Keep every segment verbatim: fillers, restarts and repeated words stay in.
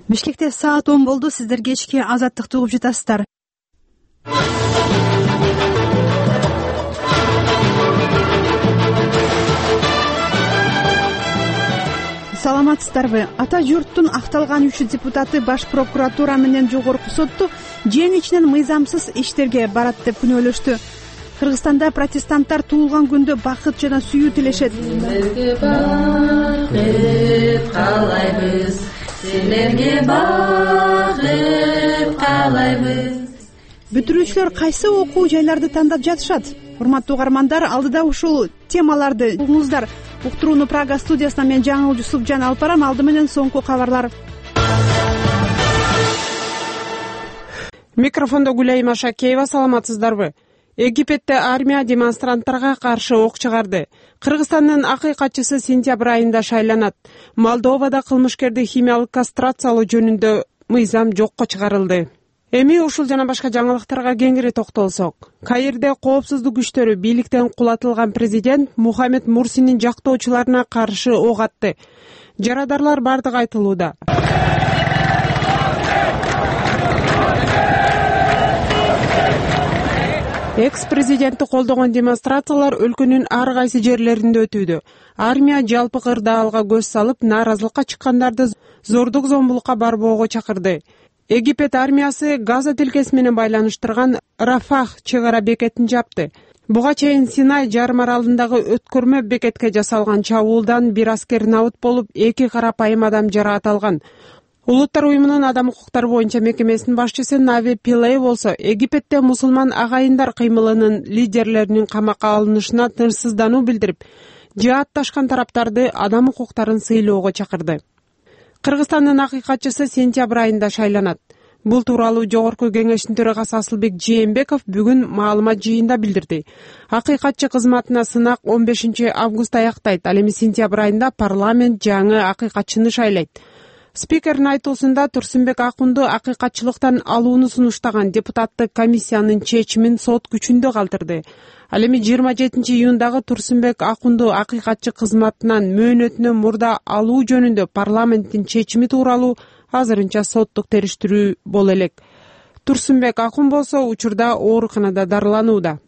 Бишкекте саат он болду. Сиздер кечки Азаттыкты угуп жатасыздар. Саламатсыздарбы? Ата журттун акталган үч депутаты Баш прокуратура менен жогорку сотту жең ичинен мыйзамсыз иштерге барат деп күнөөлөштү. Кыргызстанда протестанттар туулган күндө бакыт жана сүйүү тилешет. Силерге бакыт каалайбыз, силерге бакыт каалайбыз. Бүтүрүүчүлөр кайсы окуу жайларды тандап жатышат? Урматтуу угармандар, алдыда ушул темаларды угуңуздар. Уктурууну Прага студиясынан мен Жаңыл Жусупжан алып барам. Алды менен соңку кабарлар. Микрофондо Гүлайым Машакеева. Саламатсыздарбы? Египетте армия демонстранттарга каршы ок чыгарды. Кыргызстандын акыйкатчысы сентябрь айында шайланат. Молдовада кылмышкерди химиялык кастрациялоо жөнүндө мыйзам жокко чыгарылды. Эми ушул жана башка жаңылыктарга кеңири токтолсок. Каирде коопсуздук күчтөрү бийликтен кулатылган президент Мухаммед Мурсинин жактоочуларына каршы ок атты. Жарадарлар бардыгы айтылууда. Экс-президентти колдогон демонстрациялар өлкөнүн ар кайсы жерлеринде өтүүдө. Армия жалпы кырдаалга көз салып, нааразылыкка чыккандарды зордук зомбулукка барбоого чакырды. Египет армиясы Газа тилкеси менен байланыштырган Рафах чек ара бекетин жапты. Буга чейин Синай жарым аралындагы өткөрмө бекетке жасалган чабуулдан бир аскер набыт болуп, эки карапайым адам жараат алган. Улуттар уюмунун адам укуктары боюнча мекемесинин башчысы Нави Пилей болсо, Египетте мусулман агайындар кыймылынын лидерлеринин камакка алынышына тынчсыздануу билдирип, жаатташкан тараптарды адам укуктарын сыйлоого чакырды. Кыргызстандын акыйкатчысы сентябрь айында шайланат. Бул тууралуу жогорку кеңештин төрагасы Асылбек Жээнбеков бүгүн маалымат жыйында билдирди. Акыйкатчы кызматына сынак он бешинчи август аяктайт. Ал эми сентябрь айында парламент жаңы акыйкатчыны шайлайт. Спикердин айтуусунда Турсунбек Акунду акыйкатчылыктан алууну сунуштаган депутаттык комиссиянын чечимин сот күчүндө калтырды. Ал эми жыйырма жетинчи июндагы Турсунбек Акунду акыйкатчы кызматынан мөөнөтүнөн мурда алуу жөнүндө парламенттин чечими тууралуу азырынча соттук териштирүү боло элек. Турсунбек Акун болсо учурда ооруканада дарыланууда.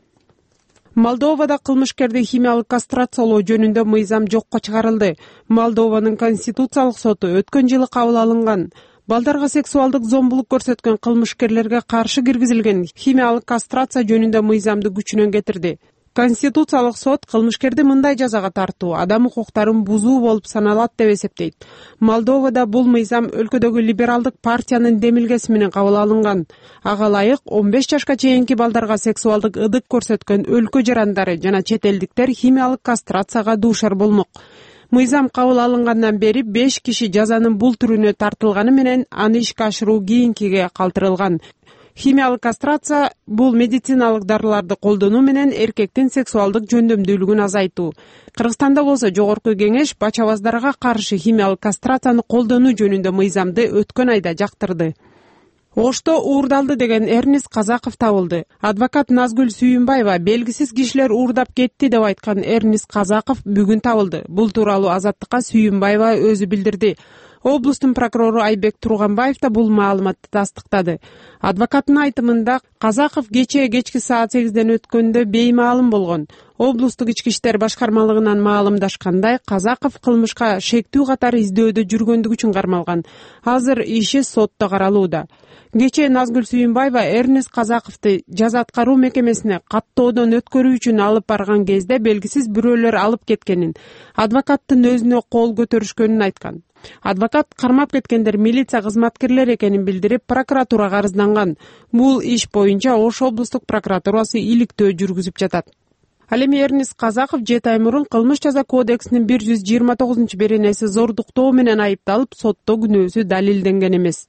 Молдовада кылмышкерди химиялык кастрациялоо жөнүндө мыйзам жокко чыгарылды. Молдованын конституциялык соту өткөн жылы кабыл алынган балдарга сексуалдык зомбулук көрсөткөн кылмышкерлерге каршы киргизилген химиялык кастрация жөнүндө мыйзамды күчүнөн кетирди. Конституциялык сот кылмышкерди мындай жазага тартуу адам укуктарын бузуу болуп саналат деп эсептейт. Молдовада бул мыйзам өлкөдөгү либералдык партиянын демилгеси менен кабыл алынган. Ага ылайык он беш жашка чейинки балдарга сексуалдык ыдык көрсөткөн өлкө жарандары жана чет элдиктер химиялык кастрацияга дуушар болмок. Мыйзам кабыл алынгандан бери беш киши жазанын бул түрүнө тартылганы менен аны ишке ашыруу кийинкиге калтырылган. Химиялык кастрация бул медициналык дарыларды колдонуу менен эркектин сексуалдык жөндөмдүүлүгүн азайтуу. Кыргызстанда болсо жогорку кеңеш бачабаздарга каршы химиялык кастрацияны колдонуу жөнүндө мыйзамды өткөн айда жактырды. Ошто уурдалды деген Эрнис Казаков табылды. Адвокат Назгүл Сүйүнбаева белгисиз кишилер уурдап кетти деп айткан Эрнис Казаков бүгүн табылды. Бул тууралуу Азаттыкка Сүйүнбаева өзү билдирди. Облустун прокурору Айбек Турганбаев да бул маалыматты тастыктады. Адвокаттын айтымында Казаков кечээ кечки саат сегизден өткөндө беймаалым болгон. Облустук ички иштер башкармалыгынан маалымдашкандай, Казаков кылмышка шектүү катары издөөдө жүргөндүгү үчүн кармалган. Азыр иши сотто каралууда. Кечээ Назгүл Сүйүнбаева Эрнис Казаковду жаза аткаруу мекемесине каттоодон өткөрүү үчүн алып барган кезде белгисиз бирөөлөр алып кеткенин, адвокаттын өзүнө кол көтөрүшкөнүн айткан. Адвокат кармап кеткендер милиция кызматкерлери экенин билдирип, прокуратурага арызданган. Бул иш боюнча Ош облустук прокуратурасы иликтөө жүргүзүп жатат. Ал эми Эрнис Казаков жети ай мурун кылмыш жаза кодексинин бир жүз жыйырма тогузунчу беренеси зордуктоо менен айыпталып, сотто күнөөсү далилденген эмес.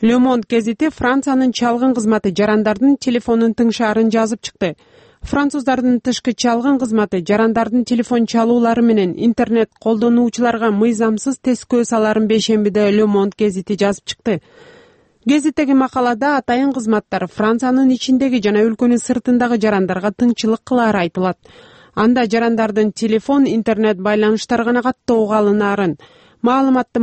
Le Monde гезити Франциянын чалгын кызматы жарандардын телефонун тыңшаарын жазып чыкты. Француздардын тышкы чалгын кызматы жарандардын телефон чалуулары менен интернет колдонуучуларга мыйзамсыз тескөө саларын бейшембиде Le Monde гезити жазып чыкты. Гезиттеги макалада атайын кызматтар Франциянын ичиндеги жана өлкөнүн сыртындагы жарандарга тыңчылык кылаары айтылат. Анда жарандардын телефон, интернет байланыштары гана каттоого алынаарын, маалыматтын